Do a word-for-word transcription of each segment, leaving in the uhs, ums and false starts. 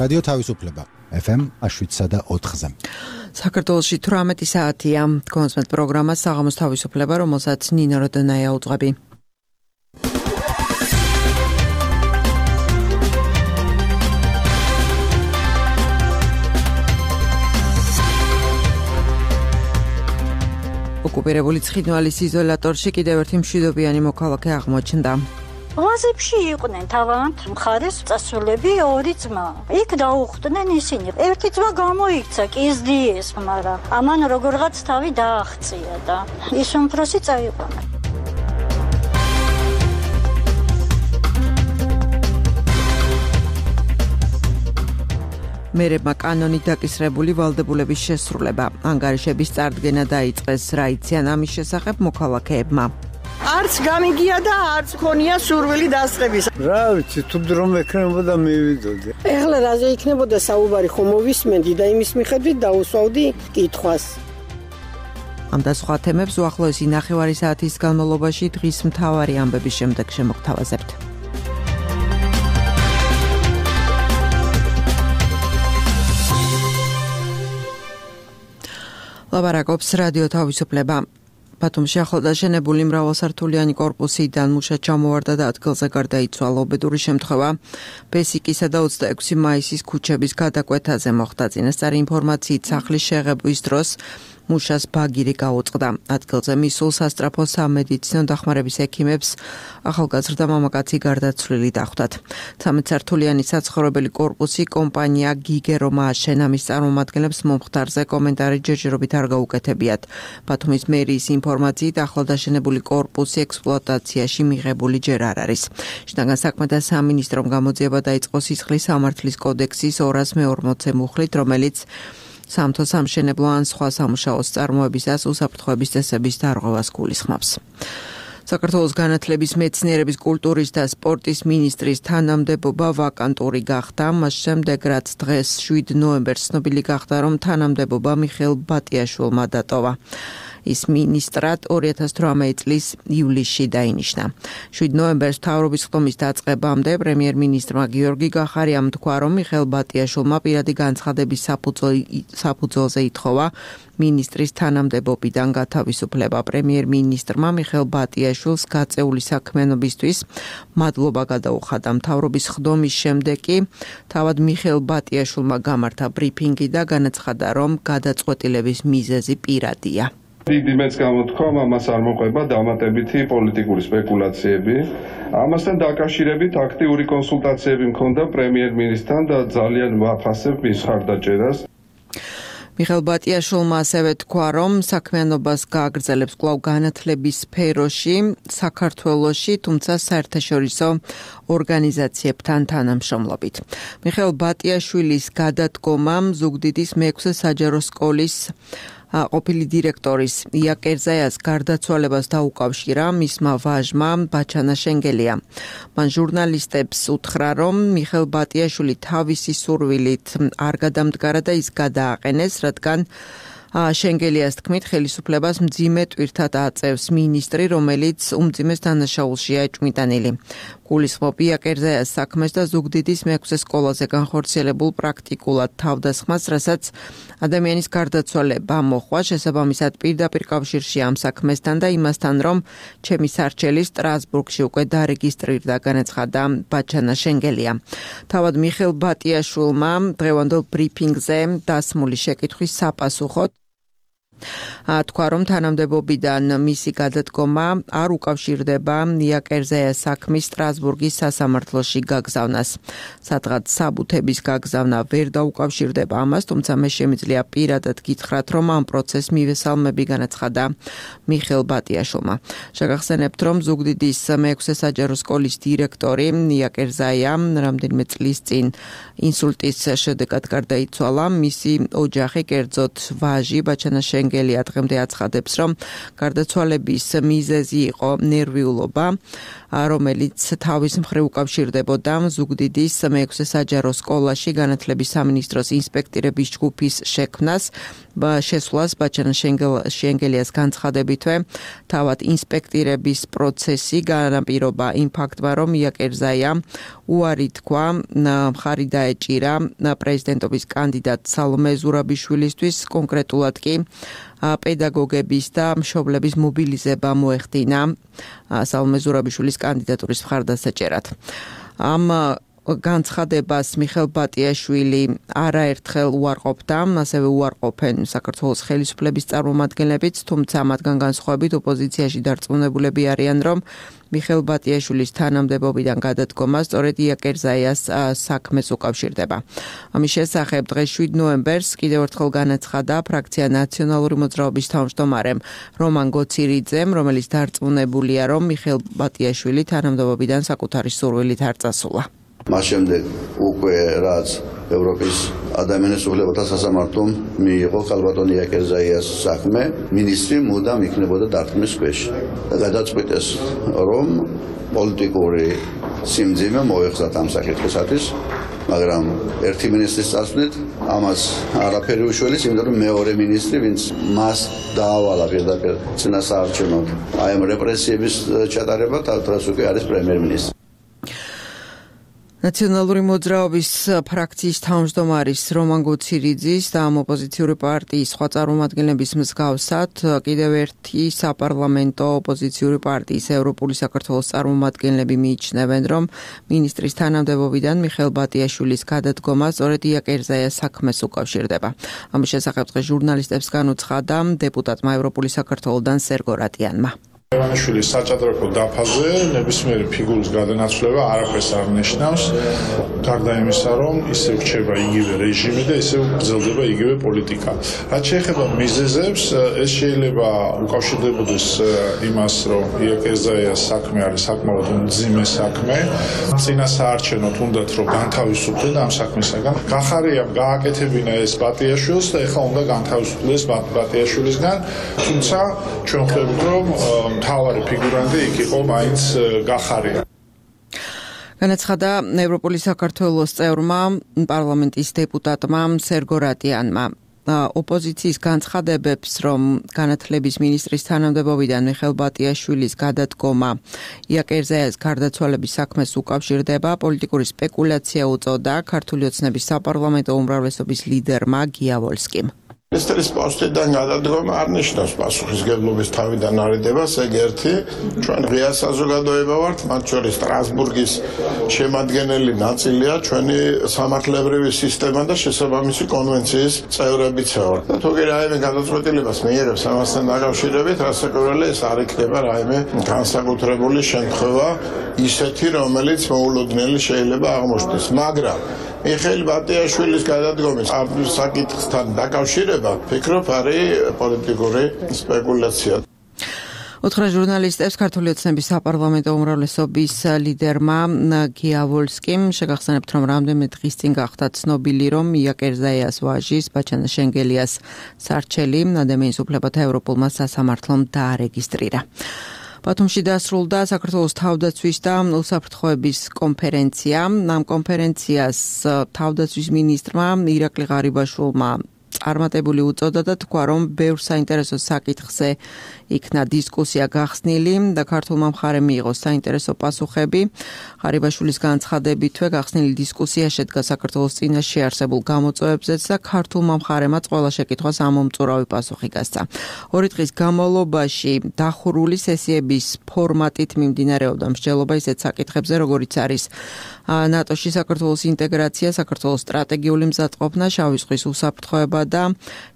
რადიო თავისუფლება ეფ ემ შვიდსა და ოთხზე. საქართველოში თვრამეტი საათია. კონსმეთ პროგრამა საღამოს თავისუფლება, რომელსაც ნინო როდონაია უძღვები. ოკუპირებული ცხინვალის იზოლატორში კიდევ ერთი მშვიდობიანი მოქალაქე აღმოჩნდა. ვაზებში იყვნენ თავად მხარეს წასულები ორი ძმა. იქ დაუხვდნენ ისინი. ერთი ძმა გამოიქცა, კიზდიეს, მაგრამ ამან როგორღაც თავი დააღწია და ის უმცროსი წაიყვანა. მერებმა კანონით დაკისრებული ვალდებულების შესრულება. ანგარიშების წარდგენა დაიწყეს, რა იციან ამის შესახებ მოქალაქეებმა. არც გამიგია და არც ქონია სურვილი დასწრების. რა ვიცი, თუ დრო მექნებოდა მივიდოდი. ეხლა რაზე იქნებოდა საუბარი, ხომ მოვისმენდი და იმის მიხედვით დაუსვავდი კითხვას. ამ და სხვა თემებს უახლოესი ნახევარი საათის განმავლობაში დღის მთავარი ამბების შემდეგ შემოგთავაზებთ. ლაბარაკობს რადიო თავისუფლება. ბათუმში ახლადაშენებული მრავალსართულიანი კორპუსიდან მუშა ჩამოვარდა და ადგილზე გარდაიცვალა. უბედური შემთხვევა ბესიკისა და ოცდაექვსი მაისის ქუჩების გადაკვეთაზე მოხდა. წინასწარი ინფორმაციით სახლის შეღებვის დროს მუშას ბაგირი გაუწყდა. ადგილზე მისულ სასწრაფო სამედიცინო დახმარების ექიმებს ახალგაზრდა მამაკაცი გარდაცვლილი დახვდათ. ცამეტსართულიანი საცხოვრებელი კორპუსი კომპანია გიგერომა აშენა. მის წარმომადგენლებს მომხდარზე კომენტარი ჯერჯერობით არ გაუკეთებიათ. ბათუმის მერიის ინფორმაციით ახლადაშენებული კორპუსი ექსპლუატაციაში მიღებული ჯერ არ არის. შინაგან საქმეთა სამინისტრომ გამოძიება დაიწყო სისხლის სამართლის კოდექსის ორას მეორმოცე მუხლით, რომელიც სამთო სამშენებლო ან სხვა სამუშაოს წარმოებისას უსაფრთხოების წესების დარღვევას გულისხმობს. საქართველოს განათლების, მეცნიერების, კულტურის და სპორტის მინისტრის თანამდებობა ვაკანტური გახდა. მას შემდეგ, რაც დღეს შვიდ ნოემბერს ცნობილი გახდა, რომ თანამდებობა მიხეილ ბატიაშვილმა დატოვა. ის მინისტრად ორი ათას თვრამეტი წლის ივლისში დაინიშნა. შვიდ ნოემბერს მთავრობის ხდომის დაწყებამდე პრემიერ-მინისტრმა გიორგი გახარიამ თქვა, რომ მიხეილ ბატიაშვილმა პირადი განცხადების საფუძველზე ითხოვა მინისტრის თანამდებობიდან გათავისუფლება. პრემიერ-მინისტრმა მიხეილ ბატიაშვილს გაწეული საქმიანობისთვის მადლობა გადაუხადა. მთავრობის ხდომის შემდეგ კი თავად მიხეილ ბატიაშვილმა გამართა ბრიფინგი და განაცხადა, რომ გადაწყვეტილების მიზეზი პირადია. დიდი მეც გამოთქვა, ამას არ მოყვება დამატებითი პოლიტიკური სპეკულაციები. ამასთან დაკავშირებით აქტიური კონსულტაციები მქონდა პრემიერ-მინისტრთან და ძალიან ვაფასებ მის მხარდაჭერას. მიხეილ ბატიაშვილმა ასევე თქვა, რომ საქმიანობას გააგრძელებს კვლავ განათლების სფეროში, საქართველოში, თუმცა საერთაშორისო ორგანიზაციებთან თანამშრომლობით. მიხეილ ბატიაშვილის გადადგომამ ზუგდიდის მეექვსე საჯარო სკოლის ყოფილი დირექტორის ია კერძაიას გარდაცვალებას დაუკავშირა მისმა ვაჟმა ბაჩანა შენგელია. მან ჟურნალისტებს უთხრა, რომ მიხეილ ბატიაშვილი თავისი სურვილით არ გადამდგარა და ის გადააყენეს, რადგან შენგელიას თქმით, ხელისუფლებას მძიმე ტვირთად აწევს მინისტრი, რომელიც უმძიმეს დანაშაულშია ჭმიტანილი. გულისხმობ ია კერძაიას საქმეს და ზუგდიდის მეექვსე სკოლაზე განხორციელებულ პრაქტიკულად თავდასხმას, რასაც ადამიანის გარდაცვალება მოხვა, შესაბამისად პირდაპირ კავშირში ამ საქმესთან და იმასთან, რომ ჩემი სარჩელი სტრასბურგში უკვე დარეგისტრირდა, განაცხადა ბაჩანა შენგელია. თავად მიხეილ ბატიაშვილმა დღევანდელ ბრიფინგზე დასმული შეკითხვის საპასუხოდ თქვა, რომ თანამდებობიდან მისი გადადგომა არ უკავშირდება ია კერძაიას საქმის სტრასბურგის სასამართლოში გაგზავნას. სადღაც საბუთების გაგზავნა ვერ დაუკავშირდება ამას, თუმცა მე შემიძლია პირადად გითხრათ, რომ ამ პროცესს მივესალმები, განაცხადა მიხეილ ბატიაშვილმა. შეგახსენებთ, რომ ზუგდიდის მეექვსე საჯარო სკოლის დირექტორი ია კერძაია რამდენიმე წლის წინ ინსულტის შედეგად გარდაიცვალა. მისი ოჯახი, კერძოდ ვაჟი ბაჩანა შენგელია შენგელია დღემდე აცხადებს, რომ გარდაცვალების მიზეზი იყო ნერვიულობა, რომელიც თავის მხრივ უკავშირდებოდა ზუგდიდის მეექვსე საჯარო სკოლაში განათლების სამინისტროს ინსპექტორების ჯგუფის შექმნას, შესვლას ბაჩანა შენგელიას განცხადებითვე თავად ინსპექტორების პროცესი განაპირობა იმ ფაქტმა, რომ იაკერზაია უარი თქვა მხარი დაეჭირა პრეზიდენტობის კანდიდატ სალომე ზურაბიშვილისთვის, კონკრეტულად კი პედაგოგების და მშობლების მობილიზება მოეხდინა სალომე ზურაბიშვილის კანდიდატურის მხარდასაჭერად. ამ განცხადებას მიხეილ ბატიაშვილი არაერთხელ უარყოფდა, ასევე უარყოფენ საქართველოს ხელისუფლების წარმომადგენლებიც, თუმცა მათგან განსხვავებით ოპოზიციაში დარწმუნებულები არიან, რომ მიხეილ ბატიაშვილის თანამდებობიდან გადადგომა სწორედ იაკერზაიას საქმეს უკავშირდება. ამის შესახებ დღეს შვიდ ნოემბერს კიდევ ერთხელ განაცხადა ფრაქცია ნაციონალური მოძრაობის თავმჯდომარემ რომან გოცირიძემ, რომელიც დარწმუნებულია, რომ მიხეილ ბატიაშვილი თანამდებობიდან საკუთარი სურვილით არ წასულა. მას შემდეგ უკვე რაც ევროპის ადამიანის უფლებათა სასამართლომ მიიღო ხალბატონი იაკერზაიას საქმე, მინისტრი მუდამ იქნებოდა დარტყმის ქვეშ და გადაწყვიტეს, რომ პოლიტიკური სიმძიმე მოეხსათ ამ საკითხისათვის, მაგრამ ერთი მინისტრის წასვლით ამას არაფერი უშველის, იმიტომ რომ მეორე მინისტრი, ვინც მას დაავალა პირდაპირ წინასაარჩევნოდ აი ამ რეპრესიების ჩატარება, დღეს უკვე არის პრემიერ-მინისტრი. ნაციონალური მოძრაობის ფრაქციის თავმჯდომარის რომან გოცირიძის და ამ ოპოზიციური პარტიის სხვა წარმომადგენლების მსგავსად კიდევ ერთი საპარლამენტო ოპოზიციური პარტიის ევროპული საქართველოს წარმომადგენლები მიიჩნევენ, რომ მინისტრის თანამდებობიდან მიხეილ ბატიაშვილის გადადგომა სწორედ იაკერზაიას საქმეს უკავშირდება. ამის შესახებ დღეს ჟურნალისტებს განუცხადა დეპუტატმა ევროპული საქართველოდან სერგო რატიანმა. ევანიშვილის საჭადრაკო დაფაზე ნებისმიერი ფიგურის გადანაცვლება არაფერს არ ნიშნავს, გარდა იმისა, რომ ისევ რჩება იგივე რეჟიმი და ისევ გრძელდება იგივე პოლიტიკა. რაც შეეხება მიზეზებს, ეს შეიძლება უკავშირდებოდეს იმას, რომ იაკერზაიას საქმე არის საკმაოდ მძიმე საქმე, წინასაარჩევნოდ უნდათ რომ განთავისუფლდნენ ამ საქმისაგან. გახარია გააკეთებინა ეს ბატიაშვილს და ეხლა უნდა განთავისუფლდეს ბატიაშვილისგან, თუმცა ჩვენ ხვდებით, რომ მთავარი ფიგურანტი იქ იყო მაინც გახარია. განაცხადა ევროპული საქართველოს წევრმა პარლამენტის დეპუტატმა სერგო რატიანმა. ოპოზიციის განცხადებებს, რომ განათლების მინისტრის თანამდებობიდან მიხეილ ბატიაშვილის გადადგომა იაკერზაიას გარდაცვალების საქმეს უკავშირდება, პოლიტიკური სპეკულაცია უწოდა ქართული ოცნების საპარლამენტო უმრავლესობის ლიდერმა გია ვოლსკიმ. მინისტრის პოსტიდან გადადგომა არ ნიშნავს პასუხისმგებლობის თავიდან არიდებას, ეგ ერთი. ჩვენ ღია საზოგადოება ვართ, მათ შორის სტრასბურგის შემადგენელი ნაწილია ჩვენი სამართლებრივი სისტემა და შესაბამისი კონვენციის წევრებიც ვართ. და თუ კი რაიმე გადაწყვეტილებას მიიღებს ამასთან დაკავშირებით, რასაკვირველია ეს არ იქნება რაიმე განსაკუთრებული შემთხვევა ისეთი, რომელიც მოულოდნელი შეიძლება აღმოჩნდეს, მაგრამ მიხეილ ბატიაშვილის გადადგომის ამ საკითხთან დაკავშირება, ფიქრობ, არის პოლიტიკური სპეკულაცია. უთხრა ჟურნალისტებს ქართული ოცნების საპარლამენტო უმრავლესობის ლიდერმა გია ვოლსკიმ, შეგახსენებთ, რომ რამდენიმე დღის წინ გახდა ცნობილი, რომ იაკერზაიას ვაჟის ბაჩანა შენგელიას სარჩელი ადამიანის უფლებათა ევროპულმა სასამართლომ დაარეგისტრირა. ბათუმში დასრულდა საქართველოს თავდაცვის და უსაფრთხოების კონფერენცია. ამ კონფერენციას თავდაცვის მინისტრმა ირაკლი ღარიბაშვილმა წარმატებული უწოდა და თქვა, რომ ბევრ საინტერესო საკითხზე იქნა დისკუსია გახსნილი და ქართულმა მხარემ მიიღო საინტერესო პასუხები. ღარიბაშვილის განცხადებითვე გახსნილი დისკუსია შედგა საქართველოს წინაშე არსებულ გამოწვევებზეც და ქართულმა მხარემაც ყველა შეკითხვას ამომწურავი პასუხი გასცა. ორი დღის განმავლობაში დახურული სესიების ფორმატით მიმდინარეობდა მსჯელობა ისეთ საკითხებზე, როგორიც არის ნატოში საქართველოს ინტეგრაცია, საქართველოს სტრატეგიული მზადყოფნა, შავი ზღვის უსაფრთხოება და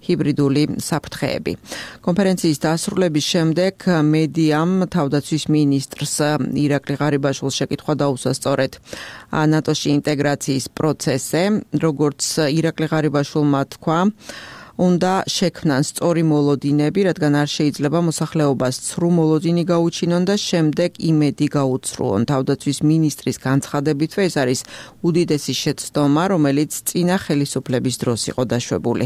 ჰიბრიდული საფრთხეები. კონფერენციის დასრულების შემდეგ მედიამ თავდაცვის მინისტრს ირაკლი ღარიბაშვილს შეკითხვა დაუსვა სწორედ ნატოში ინტეგრაციის პროცესზე, როგორც ირაკლი ღარიბაშვილმა თქვა, უნდა შექმნან სწორი მოლოდინები, რადგან არ შეიძლება მოსახლეობას ცრუ მოლოდინი გაუჩინონ და შემდეგ იმედი გაუცრუონ. თავდაცვის მინისტრის განცხადებითვე ეს არის უდიდესი შეცდომა, რომელიც წინა ხელისუფლების დროს იყო დაშვებული.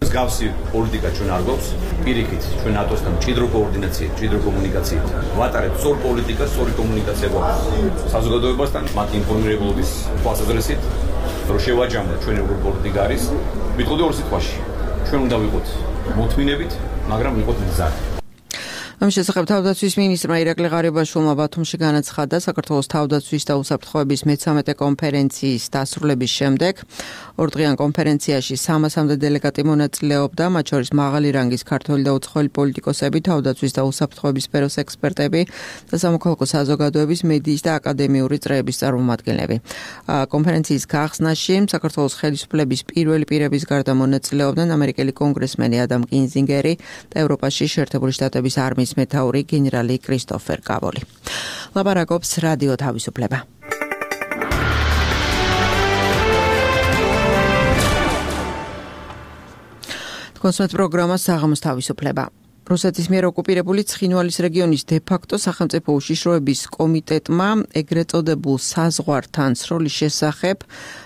მსგავსი პოლიტიკა ჩვენ არ გვაქვს. პირიქით ჩვენ ნატოსთან მჭიდრო კოორდინაციით, მჭიდრო კომუნიკაციით ვატარებთ სწორ პოლიტიკას, სწორი კომუნიკაცია გვაქვს. საზოგადოებასთან მათ ინფორმირებულობის თვალსაზრისით, რომ შევაჯამოთ ჩვენ როგორ პოლიტიკა არის, ვიტყოდი ორ სიტყვაში. ჩვენ უნდა ვიყოთ მოთმინებით, მაგრამ ვიყოთ მზად. ამ შესახებ თავდაცვის მინისტრმა ირაკლი ღარიბაშვილმა ბათუმში განაცხადა საქართველოს თავდაცვის და უსაფრთხოების მეცამეტე კონფერენციის დასრულების შემდეგ. ორდღიან კონფერენციაში სამასამდე დელეგატი მონაწილეობდა, მათ შორის მაღალი რანგის ქართველი და უცხოელი პოლიტიკოსები, თავდაცვის და უსაფრთხოების სფეროს ექსპერტები და სამოქალაქო საზოგადოების, მედიის და აკადემიური წრეების წარმომადგენლები. კონფერენციის გახსნაში საქართველოს ხელისუფლების პირველი პირების გარდა მონაწილეობდნენ ამერიკელი კონგრესმენი ადამ კინზინგერი და ევროპაში შეერთებული შტატების არმიის მეთაური გენერალი კრისტოფერ კავოლი. ლაპარაკობს რადიო თავისუფლება. კონსერტ პროგრამა საღამოს თავისუფლება. რუსეთის მიერ ოკუპირებული ცხინვალის რეგიონის დე-ფაქტო სახელმწიფო უშიშროების კომიტეტმა ეგრეთ წოდებულ საზღვართან სროლის შესახებ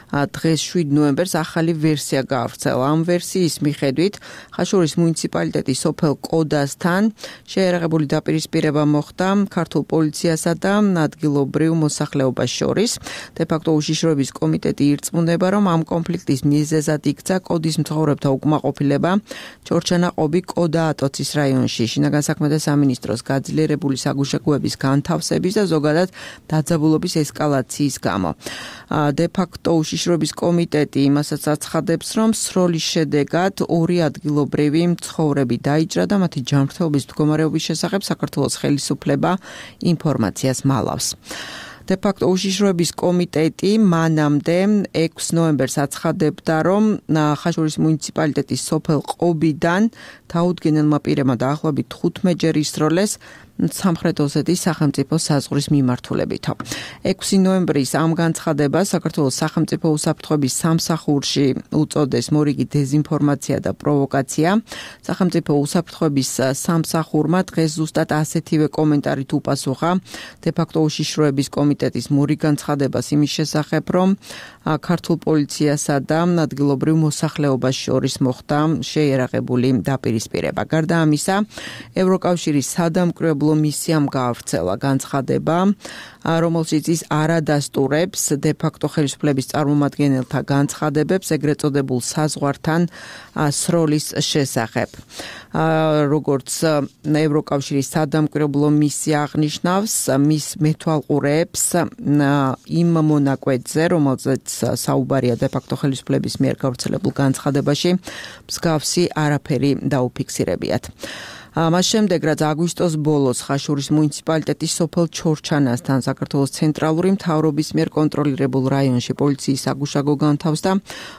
დღეს შვიდ ნოემბერს ახალი ვერსია გაავრცელა. ამ ვერსიის მიხედვით ხაშურის მუნიციპალიტეტის სოფელ კოდასთან შეერაღებული დაპირისპირება მოხდა ქართულ პოლიციასა და ადგილობრივ მოსახლეობას შორის. დე-ფაქტო უშიშროების კომიტეტი ირწმუნება, რომ ამ კონფლიქტის მიზეზად იქცა კოდის მცხოვრებთა უკმაყოფილება ჩორჩანაყობი კოდა ატოცის რაიონში. შინაგან საქმეთა სამინისტროს გაძლიერებული საგუშაგოების განთავსების და ზოგადად დაძაბულობის ესკალაციის გამო. დე-ფაქტო უშიშროების კომიტეტი იმასაც აცხადებს, რომ სროლის შედეგად ორი ადგილობრივი მცხოვრები დაიჭრა და მათი ჯანმრთელობის მდგომარეობის შესახებ საქართველოს ხელისუფლება ინფორმაციას მალავს. დე-ფაქტო უშიშროების კომიტეტი მანამდე ექვსი ნოემბერს აცხადებდა, რომ ხაშურის მუნიციპალიტეტის სოფელ ყობიდან დაუდგენელმა პირებმა დაახლოებით თხუთმეტჯერ ისროლეს სამხრეთ ოსეთის სახელმწიფო საზღვრის მიმართულებითო. ექვსი ნოემბრის ამ განცხადებას საქართველოს სახელმწიფო უსაფრთხოების სამსახურში უწოდეს მორიგი დეზინფორმაცია და პროვოკაცია. სახელმწიფო უსაფრთხოების სამსახურმა დღეს ზუსტად ასეთივე კომენტარით უპასუხა დე-ფაქტო უშიშროების კომიტეტის მორიგ განცხადებას იმის შესახებ, რომ ქართულ პოლიციასა და ადგილობრივ მოსახლეობას შორის მოხდა შეიარაღებული დაპირისპირება. გარდა ამისა, ევროკავშირის სადამკვირვებლო მისიამ გაავრცელა განცხადება, რომელშიც ის არადასტურებს დე-ფაქტო ხელისუფლების წარმომადგენელთა განცხადებებს ეგრეთ წოდებულ საზღვართან სროლის შესახებ. როგორც ევროკავშირის სადამკვირვებლო მისია აღნიშნავს, მის მეთვალყურეებს იმ მონაკვეთზე, რომელზეც საუბარია დე-ფაქტო ხელისუფლების მიერ გავრცელებულ განცხადებაში, მსგავსი არაფერი დაუფიქსირებიათ. მას შემდეგ, რაც აგვისტოს ბოლოს ხაშურის მუნიციპალიტეტის სოფელ ჩორჩანასთან საქართველოს ცენტრალური მთავრობის მიერ კონტროლირებულ რაიონში პოლიციის საგუშაგო განთავსდა,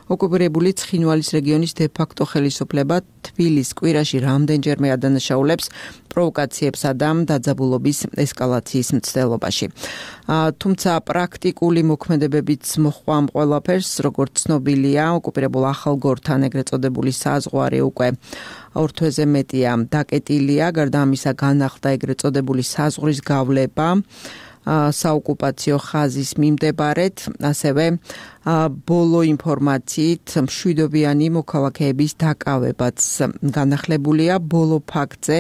ოკუპირებული ცხინვალის რეგიონის დე-ფაქტო ხელისუფლება თბილის კვირაში რამდენჯერმე ადანაშაულებს პროვოკაციებსა და დაძაბულობის ესკალაციის მცდელობაში. თუმცა პრაქტიკული მოქმედებებიც მოჰყვა ამ ყველაფერს, როგორც ცნობილია, ოკუპირებულ ახალგორთან ეგრეთ წოდებული საზღვარი უკვე ორ თვეზე მეტია დაკეტილია. გარდა ამისა, განახლდა ეგრეთ წოდებული საზღვრის გავლება საოკუპაციო ხაზის მიმდებარედ, ასევე ბოლო ინფორმაციით მშვიდობიანი მოქალაქეების დაკავებაც განახლებულია. ბოლო ფაქტზე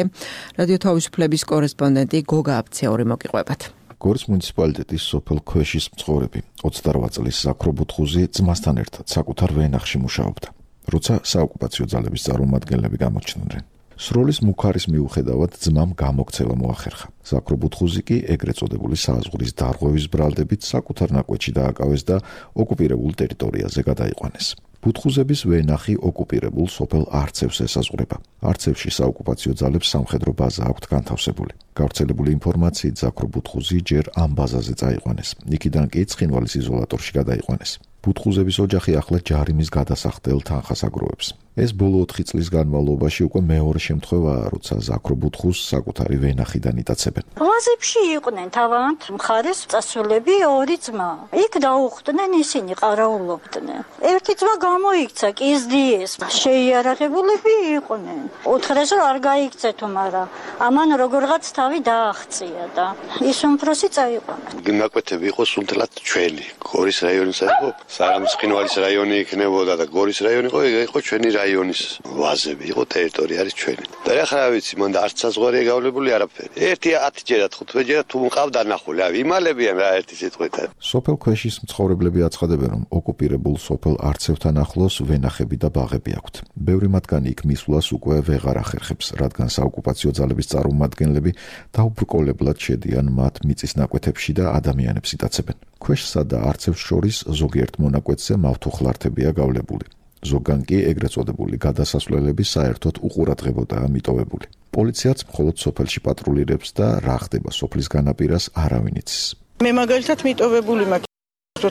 რადიო თავისუფლების კორესპონდენტი გოგა აფციური მოგიყვებათ. გორის მუნიციპალიტეტის სოფელ ქვეშის მცხოვრები ოცდარვაი წლის ზაქრო ბუთხუზი ძმასთან ერთად საკუთარ ვენახში მუშაობდა, როცა საოკუპაციო ძალების წარმომადგენლები გამოჩნდნენ. სროლის მუქარის მიუხედავად ძმამ გამოქცევა მოახერხა. ზაქრო ბუთხუზი კი ეგრეთ წოდებული საზღვრის დარღვევის ბრალდებით საკუთარ ნაკვეთში დააკავეს და ოკუპირებულ ტერიტორიაზე გადაიყვანეს. ბუთხუზების ვენახი ოკუპირებულ სოფელ არცევს ესაზღვრება. არცევში საოკუპაციო ძალებს სამხედრო ბაზა აქვთ განთავსებული. გავრცელებული ინფორმაციით ზაქრო ბუთხუზი ჯერ ამ ბაზაზე წაიყვანეს. იქიდან კი ცხინვალის იზოლატორში გადაიყვანეს. ბუთხუზების ოჯახი ახლა ჯარიმის გადასახდელ თანხას აგროვებს. ეს ბოლო ოთხი წლის განმავლობაში უკვე მეორე შემთხვევაა, როცა ზაქრო ბუთხუზს საკუთარი ვენახიდან იტაცებენ. ვაზებში იყვნენ თავად მხარეს წასულები ორი ძმა. იქ დაუხვდნენ, ისინი ყარაულობდნენ. ერთი ძმა გამოიქცა კიზდიეს შეიარაღებულები იყვნენ. უთხრეს რომ არ გაიქცეთ, მაგრამ ამან როგორღაც თავი დააღწია და ის უმფროსი წაიყვანა. ნაკვეთები იყო სულთლად ჩვენი გორის რაიონის იყო, საღამოცხინვალის რაიონი იქნებოდა და გორის რაიონი იყო, იყო ჩვენი რაიონის ვაზები, იყო ტერიტორია არის ჩვენი. და ახლა რა ვიცი, მან არც საზღვარი გავლებული არაფერი. ერთი ათი ჯერა ხუთმეტ ჯერა თუ მყავდა ნახული, ავი იმალებიან რა ერთი სიტყვით. სოფელ ქვეშის მცხოვრებლები აცხადებენ, რომ ოკუპირებულ სოფელ არცევთან ახლოს ვენახები და ბაღები აქვთ. ბევრი მათგანი იქ მისვლას უკვე ვეღარ ახერხებს, რადგან საოკუპაციო ძალების წარმომადგენლები დაუბრკოლებლად შედიან მათ მიწის ნაკვეთებში და ადამიანებს იტაცებენ. ქვეშსა და არცევს შორის ზოგიერთ მონაკვეთზე მავთუხლართებია გავლებული. ზოგან კი ეგრეთ წოდებული გადასასვლელები საერთოდ უყურადღებოდაა მიტოვებული. პოლიციაც მხოლოდ სოფელში პატრულირებს და რა ხდება სოფლის განაპირას არავინ იცის. მე მაგალითად მიტოვებული მაქვს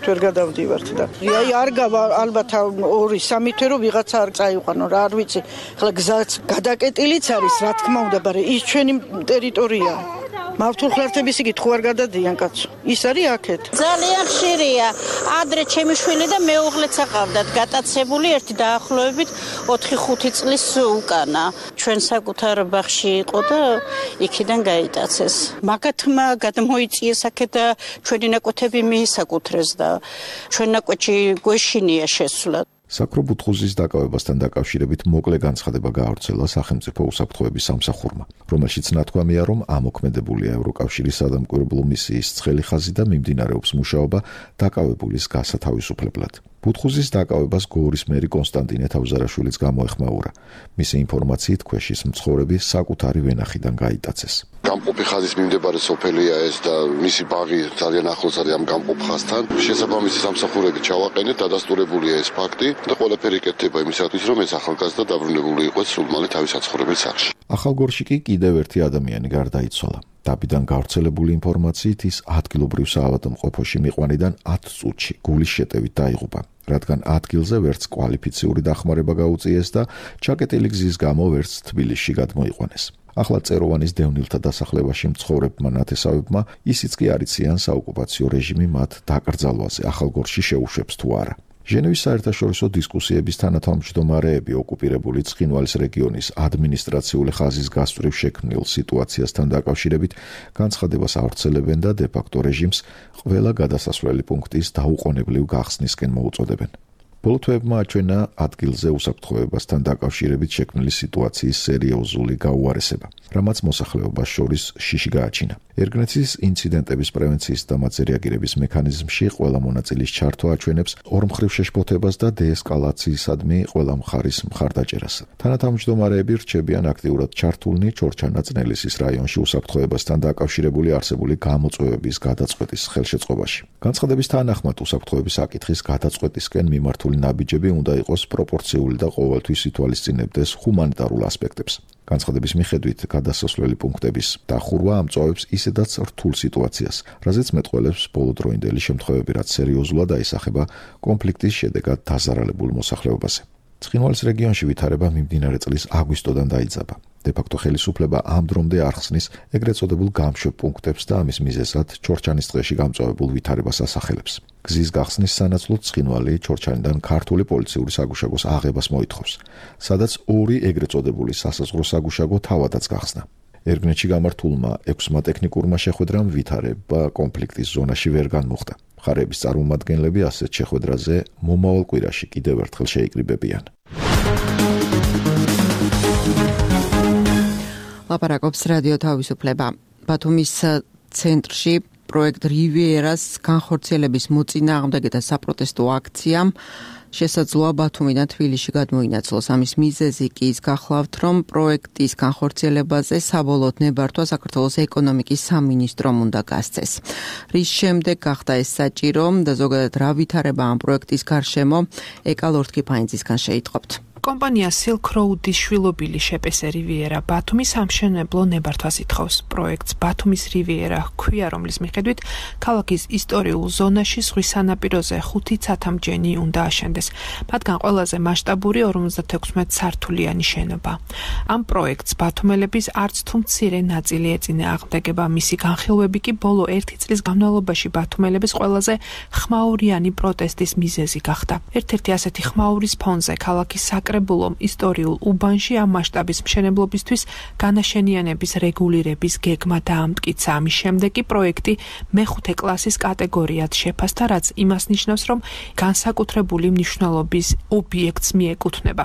ვერ გადავდივართ და აი არ გავა ალბათ ორი სამი თვე რომ ვიღაცა არ წაიყვანო რა არ ვიცი ახლა გზაც გადაკეტილიც არის რა თქმა უნდა მაგრამ ის ჩვენი ტერიტორია მავთულხლართების იგით ხო არ გადადიან კაცო ის არის აქეთ ძალიან ხშირია ადრე ჩემი შვილი და მეუღლეც აყავდათ გატაცებული ერთი დაახლოებით ოთხი ხუთი წლის უკანა ჩვენ საკუთარ ბაღში იყო და იქიდან გაიტაცეს მაგათმა გადმოიწიეს აქეთ და ჩვენი ნაკვეთები მიისაკუთრეს და ჩვენ ნაკვეთში გვეშინია შესვლა საკრობუთხუზის დაკავებასთან დაკავშირებით მოკლე განცხადება გაავრცელა სახელმწიფო უსაფრთხოების სამსახურმა, რომელშიც ნათქვამია, რომ ამოქმედებულია ევროკავშირის სადამკვირვებლო მისიის ცხელი ხაზი და მიმდინარეობს მუშაობა დაკავებულის გასათავისუფლებლად. ბუთხუზის დაკავებას გორის მერი კონსტანტინე თავზარაშვილიც გამოეხმაურა. მისი ინფორმაციით ქვეშის მცხოვრები საკუთარი ვენახიდან გაიტაცეს. გამყოფი ხაზის მიმდებარე სოფელია ეს და მისი ბაღი ძალიან ახლოს არის ამ გამყოფ ხაზთან. შესაბამისი სამსახურები ჩავაყენეთ, დადასტურებულია ეს ფაქტი და ყველაფერი იკეთება იმისათვის, რომ ეს ახალგაზრდა დაბრუნებული იყოს სულმალე თავის საცხოვრებელ სახლში. ახალგორში კი კიდევ ერთი ადამიანი გარდაიცვალა. დაბიდან გავრცელებული ინფორმაციით ის ადგილობრივ საავადმყოფოში მიყვანიდან ათ წუთში გულის შეტევით დაიღუპა, რადგან ადგილზე ვერც კვალიფიციური დახმარება გაუწიეს და ჩაკეტილი გზის გამო ვერც თბილისში გადმოიყვანეს. ახლა წეროვანის დევნილთა დასახლებაში მცხოვრებმა ნათესავებმა ისიც კი არ იციან საოკუპაციო რეჟიმი მათ დაკრძალვაზე ახალგორში შეუშვებს თუ არა. ჟენევის საერთაშორისო დისკუსიების თანათავმჯდომარეები ოკუპირებული ცხინვალის რეგიონის ადმინისტრაციული ხაზის გასწვრივ შექმნილ სიტუაციასთან დაკავშირებით განცხადებას ავრცელებენ და დე-ფაქტო რეჟიმს ყველა გადასასვლელი პუნქტის დაუყოვნებლივ გახსნისკენ მოუწოდებენ. ბოლო თვეებმა აჩვენა ადგილზე უსაფრთხოებასთან დაკავშირებით შექმნილი სიტუაციის სერიოზული გაუარესება, რამაც მოსახლეობას შორის შიში გააჩინა. ერგნეცის ინციდენტების პრევენციის და მათზე რეაგირების მექანიზმში ყველა მონაწილის ჩართვა აჩვენებს ორმხრივ შეშფოთებას და დეესკალაციისადმი ყველა მხარის მხარდაჭერას. თანათავმჯდომარეები რჩებიან აქტიურად ჩართულნი ჩორჩა-ნაწნელისის რაიონში უსაფრთხოებასთან დაკავშირებული არსებული გამოწვევების გადაწყვეტის ხელშეწყობაში. განცხადების თანახმად უსაფრთხოების საკითხის გადაწყვეტისკენ მიმართული ნაბიჯები უნდა იყოს პროპორციული და ყოველთვის ითვალისწინებდეს ჰუმანიტარულ ასპექტებს. განცხადების მიხედვით გადასასვლელი პუნქტების დახურვა ამწვავებს ისედაც რთულ სიტუაციას, რაზეც მეტყველებს ბოლოდროინდელი შემთხვევები, რაც სერიოზულად აისახება კონფლიქტის შედეგად დაზარალებულ მოსახლეობაზე. ცხინვალის რეგიონში ვითარება მიმდინარე წლის აგვისტოდან დაიძაბა. დე-ფაქტო ხელისუფლება ამ დრომდე არ ხსნის ეგრეთ წოდებულ გამშვებ პუნქტებს და ამის მიზეზად ჩორჩანის ტყეში გამწვავებულ ვითარებას ასახელებს. გზის გახსნის სანაცვლოდ ცხინვალი ჩორჩანიდან ქართული პოლიციური საგუშაგოს აღებას მოითხოვს, სადაც ორი ეგრეთ წოდებული სასაზღვრო საგუშაგო თავადაც გახსნა. ერგნეთში გამართულმა ექვსმა ტექნიკურმა შეხვედრამ ვითარება კონფლიქტის ზონაში ვერ განმუხტა. მხარეების წარმომადგენლები ასეთ შეხვედრაზე მომავალ კვირაში კიდევ ერთხელ შეიკრიბებიან. ლაპარაკობს რადიო თავისუფლება. ბათუმის ცენტრში პროექტ რივიერას განხორციელების მოწინააღმდეგე და საპროტესტო აქციამ შესაძლოა ბათუმიდან თბილისში გადმოინაცვლოს. ამის მიზეზი კი ის გახლავთ, რომ პროექტის განხორციელებაზე საბოლოოდ ნებართვა საქართველოს ეკონომიკის სამინისტრომ უნდა გასცეს. რის შემდეგ გახდა ეს საჭირო და ზოგადად რა ვითარება ამ პროექტის გარშემო ეკალორთქიფაინძისგან შეიტყობთ. კომპანია Silk Road-ის შვილობილი შეპესე რივიერა ბათუმის სამშენებლო ნებართვას ითხოვს. პროექტს ბათუმის რივიერა ჰქვია, რომლის მიხედვით ქალაქის ისტორიულ ზონაში ზღვის სანაპიროზე ხუთი ცათამბჯენი უნდა აშენდეს. მათგან ყველაზე მასშტაბური ორმოცდათექვსმეტ სართულიანი შენობა. ამ პროექტს ბათუმელების არც თუ მცირე ნაწილი ეწინააღმდეგება. მისი განხილვები კი ბოლო ერთი წლის განმავლობაში ბათუმელების ყველაზე ხმაურიანი პროტესტის მიზეზი გახდა. ერთ-ერთი ასეთი ხმაურის ფონზე ქალაქის საკრებულომ ისტორიულ უბანში ამ მასშტაბის მშენებლობისთვის განაშენიანების რეგულირების გეგმა დაამტკიცა. ამის შემდეგ კი პროექტი მეხუთე კლასის კატეგორიად შეფასდა, რაც იმას ნიშნავს, რომ განსაკუთრებული მნიშვნელობის ობიექტს მიეკუთვნება.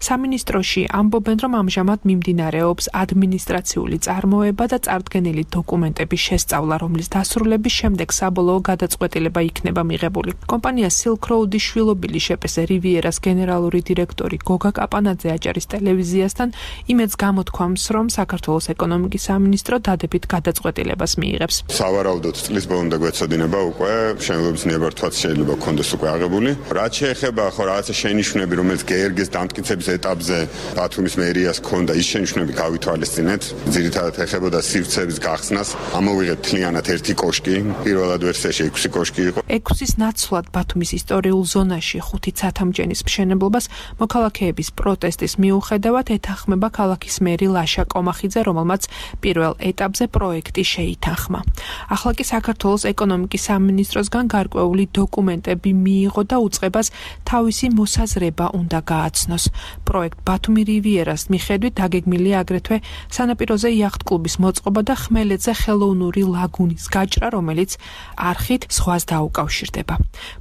სამინისტროში ამბობენ, რომ ამჟამად მიმდინარეობს ადმინისტრაციული წარმოება და წარდგენილი დოკუმენტების შესწავლა, რომლის დასრულების შემდეგ საბოლოო გადაწყვეტილება იქნება მიღებული. კომპანია Silk Road-ის შვილობილი შეპესე რივიერას გენერალური დირექტორი გოგა კაპანაძე აჭარის ტელევიზიასთან იმედს გამოთქვამს, რომ საქართველოს ეკონომიკის სამინისტრო დადებით გადაწყვეტილებას მიიღებს. სავარაუდოდ წლის ბოლომდე გვეცოდინება უკვე მშენებლობის ნებართვაც შეიძლება გქონდეს უკვე აღებული. რაც შეეხება ხო რაღაცა შენიშვნები, რომელიც გერგის დამტკიცების ეტაპზე ბათუმის მერიას ჰქონდა, ის შენიშვნები გავითვალისწინეთ. ძირითადად ეხებოდა სივრცეების გახსნას. ამოვიღეთ მთლიანად ერთი კოშკი, პირველად ვერსიაში ექვსი კოშკი იყო. ექვსის ნაცვლად ბათუმის ისტორიულ ზონაში ხუთი ცათამბჯენის მშენებლობას მოქალაქეების პროტესტის მიუხედავად ეთანხმება ქალაქის მერი ლაშა კომახიძე, რომელმაც პირველ ეტაპზე პროექტი შეითანხმა. ახლა კი საქართველოს ეკონომიკის სამინისტროსგან გარკვეული დოკუმენტები მიიღო და უწყებას თავისი მოსაზრება უნდა გააცნოს. პროექტ ბათუმი რივიერას მიხედვით დაგეგმილია აგრეთვე სანაპიროზე იახტ-კლუბის მოწყობა და ხმელეთზე ხელოვნური ლაგუნის გაჭრა, რომელიც არხით ზღვას დაუკავშირდება.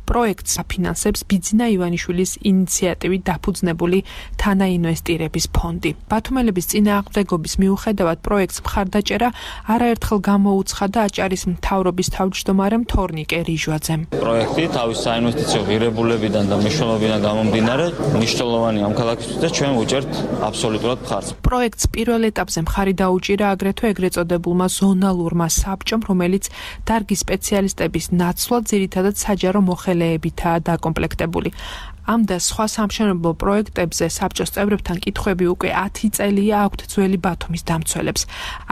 პროექტს აფინანსებს ბიძინა ივანიშვილის ინიციატივით დაფუძნებული თანაინვესტირების ფონდი. ბათუმელების წინააღმდეგობის მიუხედავად პროექტს მხარდაჭერა არაერთხელ გამოუცხადა აჭარის მთავრობის თავმჯდომარემ თორნიკე რიჟვაძემ. პროექტი თავის საინვესტიციო ღირებულებიდან და მნიშვნელობიდან გამომდინარე მნიშვნელოვანი ამ ქალაქისთვის და ჩვენ ვუჭერთ აბსოლუტურად მხარს. პროექტს პირველ ეტაპზე მხარი დაუჭირა აგრეთვე ეგრეთ წოდებულმა ზონალურმა საბჭომ, რომელიც დარგის სპეციალისტების ნაცვლად ძირითადად საჯარო მოხელეებითაა დაკომპლექტებული. ამ და სხვა სამშენებლო პროექტებზე საბჭოს წევრებთან კითხვები უკვე ათი წელია აქვთ ძველი ბათუმის დამცველებს.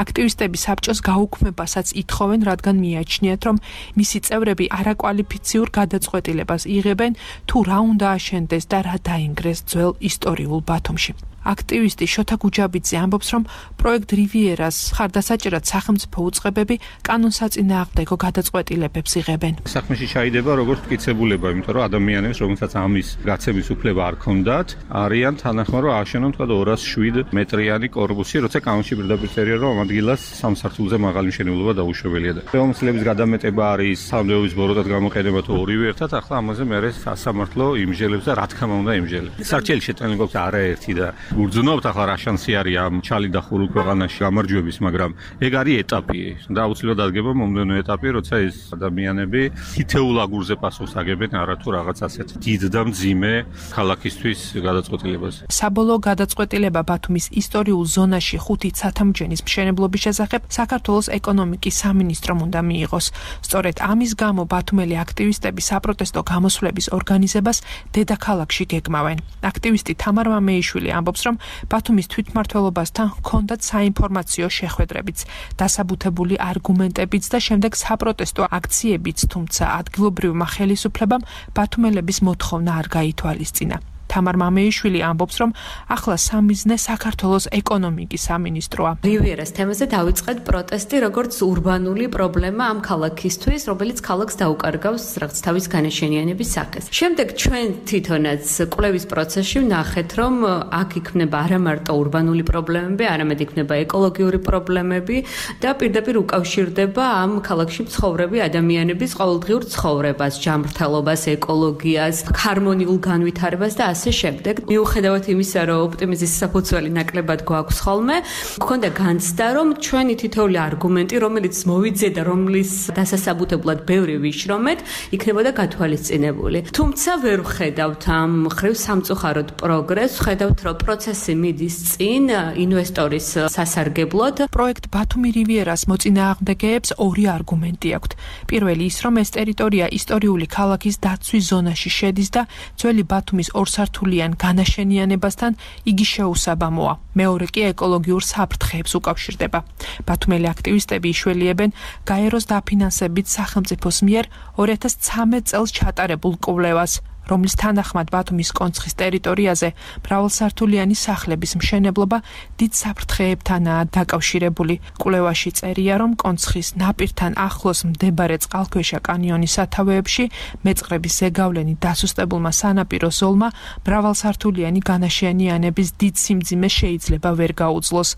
აქტივისტები საბჭოს გაუქმებასაც ითხოვენ, რადგან მიაჩნიათ, რომ მისი წევრები არაკვალიფიციურ გადაწყვეტილებას იღებენ, თუ რა უნდა აშენდეს და რა დაინგრეს ძველ ისტორიულ ბათუმში. აქტივისტი შოთა გუჯაბიძე ამბობს, რომ პროექტ რივიერას ხარდასაჭერად სახელმწიფო უწყებები კანონსაწინააღმდეგო გადაწყვეტილებებს იღებენ. საქმეში ჩაიდება როგორც მტკიცებულება, იმიტომ რომ ადამიანებს, რომელსაც ამის გაცემის უფლება არ ქონდათ, არიან თანახმა რომ ააშენონ თქვა ორას შვიდ მეტრიანი კორპუსი, როცა კანონში პირდაპირ წერია, რომ ამ ადგილას სამ სართულზე მაღალი მშენებლობა დაუშვებელია და ხელმისაწვდომის გადამეტება არის სამდეობის ბოროტად გამოყენება თუ ორივე ერთად, ახლა ამაზე მე სასამართლო იმჟელებს და რა თქმა უნდა იმჟელებს. სარჩელი შეტანილი გვაქვს არაერთი და გურძნობთ ახლა რა შანსი არის ამ ჩალი და ხურულ ქვეყანაში გამარჯვების, მაგრამ ეგ არის ეტაპი და აუცილებლად ადგება მომდენო ეტაპი, როცა ეს ადამიანები თითოეულ აგურზე პასუხს აგებენ არათუ რაღაც ასეთ დიდ და მძიმე ქალაქისთვის გადაწყვეტილებას. საბოლოო გადაწყვეტილება ბათუმის ისტორიულ ზონაში ხუთი ცათამბჯენის მშენებლობის შესახებ საქართველოს ეკონომიკის სამინისტრომ უნდა მიიღოს. სწორედ ამის გამო ბათუმელი აქტივისტები საპროტესტო გამოსვლების ორგანიზებას დედაქალაქში გეგმავენ. აქტივისტი თამარ მამეიშვილი ამბობს, რომ ბათუმის თვითმმართველობასთან ჰქონდათ საინფორმაციო შეხვედრებიც, დასაბუთებული არგუმენტებიც და შემდეგ საპროტესტო აქციებიც, თუმცა ადგილობრივმა ხელისუფლებამ ბათუმელების მოთხოვნა არ გაითვალისწინა. თამარ მამეიშვილი ამბობს, რომ ახლა სამიზნე საქართველოს ეკონომიკის სამინისტროა. რივიერას თემაზე დავიწყეთ პროტესტი, როგორც ურბანული პრობლემა ამ ქალაქისთვის, რომელიც ქალაქს დაუკარგავს რაღაც თავის განაშენიანების სახეს. შემდეგ ჩვენ თვითონაც კვლევის პროცესში ვნახეთ, რომ აქ იქნება არა მარტო ურბანული პრობლემები, არამედ იქნება ეკოლოგიური პრობლემები და პირდაპირ უკავშირდება ამ ქალაქში მცხოვრები ადამიანების ყოველდღიურ ცხოვრებას, ჯანმრთელობას, ეკოლოგიას, ჰარმონიულ განვითარებას და ასე შემდეგ. მიუხედავად იმისა, რომ ოპტიმიზმის საფუძველი ნაკლებად გვაქვს ხოლმე, გქონდა განცდა, რომ ჩვენი თითოეული არგუმენტი, რომელიც მოვიძიე და რომლის დასასაბუთებლად ბევრი ვიშრომეთ, იქნებოდა გათვალისწინებული. თუმცა ვერ ვხედავთ ამ მხრივ სამწუხაროდ პროგრესს, ვხედავთ, რომ პროცესი მიდის წინ ინვესტორის სასარგებლოდ. პროექტ ბათუმი რივიერას მოწინააღმდეგეებს ორი არგუმენტი აქვთ. პირველი ის, რომ ეს ტერიტორია ისტორიული ქალაქის დაცვის ზონაში შედის და ძველი ბათუმის ორ მრავალსართულიან განაშენიანებასთან იგი შეუსაბამოა. მეორე კი ეკოლოგიურ საფრთხეებს უკავშირდება. ბათუმელი აქტივისტები იშველიებენ გაეროს დაფინანსებით სახელმწიფოს მიერ ორი ათას ცხრამეტ წელს ჩატარებულ კვლევას, რომლის თანახმად ბათუმის კონცხის ტერიტორიაზე მრავალსართულიანი სახლების მშენებლობა დიდ საფრთხეებთანაა დაკავშირებული. კვლევაში წერია, რომ კონცხის ნაპირთან ახლოს მდებარე წყალქვეშა კანიონის სათავეებში მეწყრების ზეგავლენი დასუსტებულმა სანაპირო ზოლმა მრავალსართულიანი განაშენიანების დიდ სიმძიმეს შეიძლება ვერ გაუძლოს.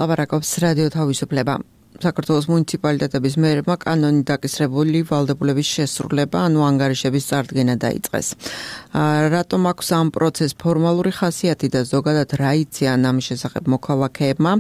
ლაპარაკობს რადიო თავისუფლება. საქართველოს მუნიციპალიტეტების მერებმა კანონით დაკისრებული ვალდებულების შესრულება, ანუ ანგარიშების წარდგენა დაიწყეს. რატომ აქვს ამ პროცესს ფორმალური ხასიათი და ზოგადად რა იციან ამის შესახებ მოქალაქეებმა?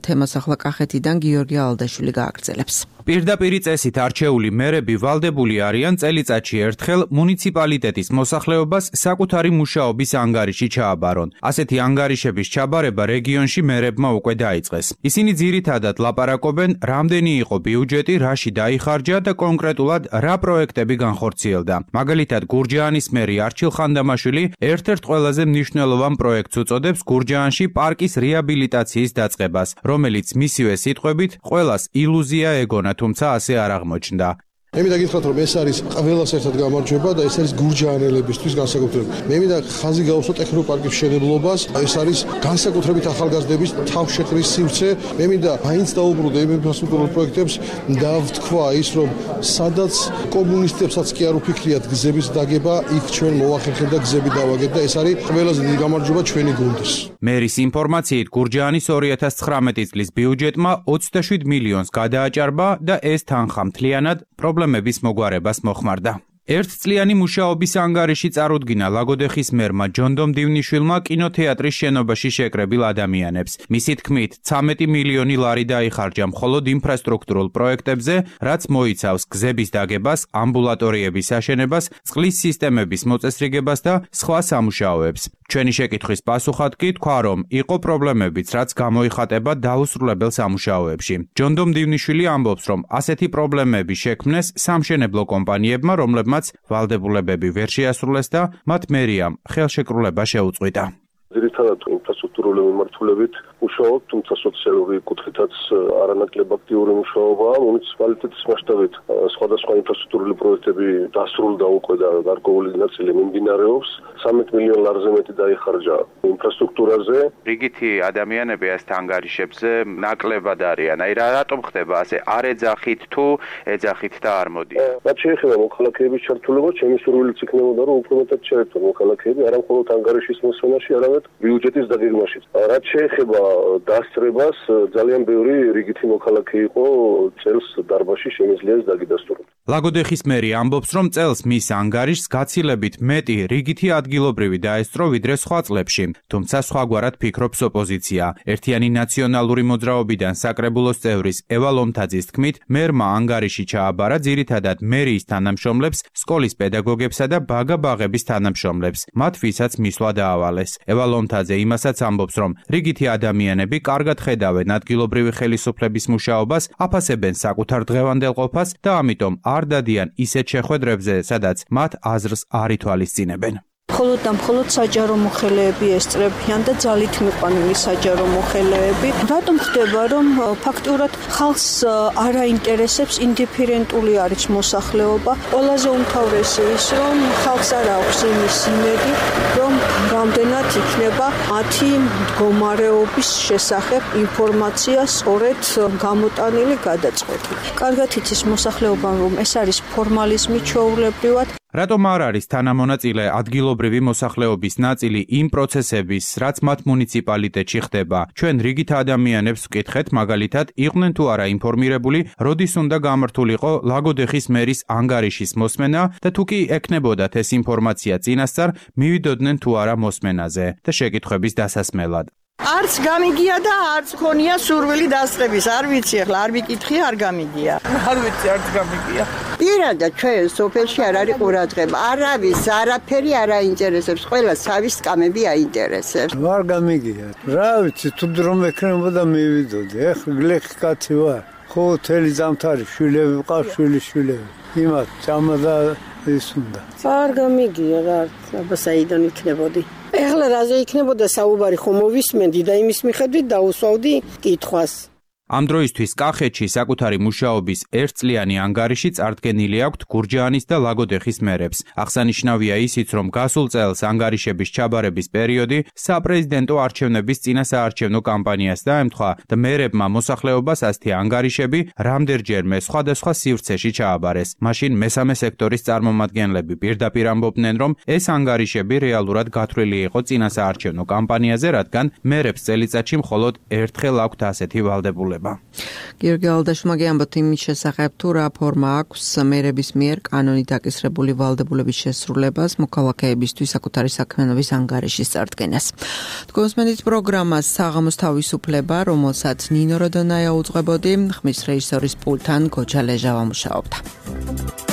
თემას ახლა კახეთიდან გიორგი ალდაშვილი გააგრძელებს. პირდაპირი წესით არჩეული მერები ვალდებული არიან წელიწადში ერთხელ მუნიციპალიტეტის მოსახლეობას საკუთარი მუშაობის ანგარიში ჩააბარონ. ასეთი ანგარიშების ჩაბარება რეგიონში მერებმა უკვე დაიწყეს. ისინი ძირითადად ლაპარაკობენ, რამდენი იყო ბიუჯეტი, რაში დაიხარჯა და კონკრეტულად რა პროექტები განხორციელდა. მაგალითად, გურჯაანის მერი არჩილ ხანდამაშვილი ერთ-ერთ ყველაზე მნიშვნელოვან პროექტს უწოდებს გურჯაანში პარკის რეაბილიტაციის დაწყებას, რომელიც მისივე სიტყვებით ყველას ილუზია ეგონა, თუმცა ასე არ აღმოჩნდა. მე მინდა გითხრათ, რომ ეს არის ყველას ერთად გამარჯვება და ეს არის გურჯაანელებისთვის განსაკუთრებით. მე მინდა ხაზი გაუსვა ტექნოპარკის მშენებლობას, ეს არის განსაკუთრებით ახალგაზრდების თავშეყრის სივრცე. მე მინდა მაინც დაუბრუნდე იმ ინფრასტრუქტურულ პროექტებს და ვთქვა ის, რომ სადაც კომუნისტებსაც კი არ უფიქრიათ გზების დაგება, იქ ჩვენ მოვახერხებთ და გზები დავაგებთ და ეს არის ყველაზე დიდი გამარჯვება ჩვენი გუნდის. მერის ინფორმაციით, გურჯაანის ორი ათას ცხრამეტი წლის ბიუჯეტმა ოცდაშვიდ მილიონს გადააჭარბა და ეს თანხა მთლიანად პრობლემების მოგვარებას მოხმარდა. ერთწლიანი მუშაობის ანგარიში წარუდგინა ლაგოდეხის მერმა ჯონდომ დივნიშვილმა კინოთეატრის შენობაში შეკრებილ ადამიანებს. მისი თქმით, ცამეტი მილიონი ლარი დაიხარჯა მხოლოდ ინფრასტრუქტურულ პროექტებზე, რაც მოიცავს გზების დაგებას, ამბულატორიების აშენებას, წყლის სისტემების მოწესრიგებას და სხვა სამუშაოებს. ჩვენი შეკითხვის პასუხად კი თქვა, რომ იყო პრობლემებიც, რაც გამოიხატება დაუსრულებელ სამუშაოებში. ჯონდომ დივნიშვილი ამბობს, რომ ასეთი პრობლემები შექმნეს სამშენებლო კომპანიებმა, რომლებმაც ვალდებულებები ვერ შეასრულეს და მათ მერიამ ხელშეკრულება შეუწყვიტა. ძირითადად ინფრასტრუქტურული მიმართულებით მუშაობ, თუმცა სოციალური კუთხითაც არანაკლებ აქტიური მუშაობაა. მუნიციპალიტეტის მასშტაბით სხვადასხვა ინფრასტრუქტურული პროექტები დასრულდა უკვე და გარკვეული ნაწილი მიმდინარეობს. ცამეტ მილიონ ლარზე მეტი დაიხარჯა ინფრასტრუქტურაზე. რიგითი ადამიანები ასეთ ანგარიშებზე ნაკლებად არიან. აი რა რატომ ხდება ასე? არ ეძახით თუ ეძახით და არ მოდი. რაც შეეხება მოქალაქეების ჩართულობას, ჩემი სურვილიც იქნებოდა, რომ უფრო მეტად ჩაერთონ მოქალაქეები, არა მხოლოდ ანგარიშის მოსვენაში, არამედ ბიუჯეტის დაგეგმაში. რაც შეეხება დასწრებას, ძალიან ბევრი რიგითი მოქალაქე იყო წელს დარბაზში შემიძლია დაგიდასტუროს. ლაგოდეხის მერი ამბობს, რომ წელს მის ანგარიშს გაცილებით მეტი რიგითი ადგილობრივი დაესწრო ვიდრე სხვა წლებში, თუმცა სხვაგვარად ფიქრობს ოპოზიცია. ერთიანი ნაციონალური მოძრაობიდან საკრებულოს წევრის ევა ლომთაძის თქმით, მერმა ანგარიში ჩააბარა ძირითადად მერიის თანამშრომლებს, სკოლის პედაგოგებსა და ბაგა-ბაღების თანამშრომლებს, მათ ვისაც მისვლა დაავალეს. ევა ლომთაძე იმასაც ამბობს, რომ რიგითი ადამიანები კარგად ხედავენ ადგილობრივი ხელისუფლების მუშაობას, აფასებენ საკუთარ დღევანდელ ყოფას და ამიტომ არ დადიან ისეთ შეხვედრებზე, სადაც მათ აზრს არ ითვალისწინებენ. მხოლოდ და მხოლოდ საჯარო მოხელეები ესწრებიან და ძალით მიყვანილი საჯარო მოხელეები. რატომ ხდება, რომ ფაქტურად ხალხს არ აინტერესებს, ინდიფერენტული არის მოსახლეობა? ყველაზე უმთავრესი ის, რომ ხალხს არ აქვს იმის იმედი, რომ რამდენად იქნება მათი მდგომარეობის შესახებ ინფორმაცია სწორედ გამოტანილი, გადაწყვეტილი. კარგად იცის მოსახლეობამ, რომ ეს არის ფორმალიზმი ჩვეულებრივად. რატომ არ არის თანამონაწილე ადგილობრივი მოსახლეობის ნაწილი იმ პროცესების, რაც მათ მუნიციპალიტეტში ხდება? ჩვენ რიგით ადამიანებს ვკითხეთ, მაგალითად, იყვნენ თუ არა ინფორმირებული, როდის უნდა გამართულიყო ლაგოდეხის მერის ანგარიშის მოსმენა და თუ კი ექნებოდათ ეს ინფორმაცია წინასწარ, მივიდოდნენ თუ არა მოსმენაზე და შეკითხვების დასასმელად. არც გამიგია და არც ქონია სურვილი დასწრების. არ ვიცი, ახლა არ ვიკითხი, არ გამიგია. არ ვიცი, არც გამიგია. პირადად ჩვენ სოფელში არ არის ყურადღება. არავის არაფერი არ აინტერესებს, ყველა სავის კამები აინტერესებს. არ გამიგია. რა ვიცი, თუ დრო მექნებოდა მივიდოდი. ეხლა გლეხი კაცი ვარ. ხო, თელი ზამთარი შვილები ვყავს, შვილიშვილები. იმათ ჭამა და ის უნდა. არ გამიგია რა, აბა საიდან იქნებოდი. ეხლა რაზე იქნებოდა საუბარი ხომ მოვისმენდი და იმის მიხედვით დაუსვავდი კითხვას. ამ დროისთვის კახეთში საკუთარი მუშაობის ერთწლიანი ანგარიში წარდგენილი აქვთ გურჯაანის და ლაგოდეხის მერებს. აღსანიშნავია ისიც, რომ გასულ წელს ანგარიშების ჩაბარების პერიოდი საპრეზიდენტო არჩევნების წინასაარჩევნო კამპანიას დაემთხვა და მერებმა მოსახლეობას ასეთი ანგარიშები რამდენჯერმე სხვადასხვა სივრცეში ჩააბარეს. მაშინ მესამე სექტორის წარმომადგენლები პირდაპირ ამბობდნენ, რომ ეს ანგარიშები რეალურად გათვლილი იყო წინასაარჩევნო კამპანიაზე, რადგან მერებს წელიწადში მხოლოდ ერთხელ აქვთ ასეთი ვალდებულება. გიორგი ალდაშმა გიამბოთ იმის შესახებ, თუ რა ფორმა აქვს მერების მიერ კანონით აკისრებული ვალდებულების შესრულებას მოქალაქეებისთვის საკუთარი საქმიანობის ანგარიშის წარდგენას. თქვენს პროგრამას საღამოს თავისუფლება, რომელსაც ნინო როდონაია უძღვებოდი, ხმის რეჟისორის პულტთან გოჯა ლეჟავა მუშაობდა.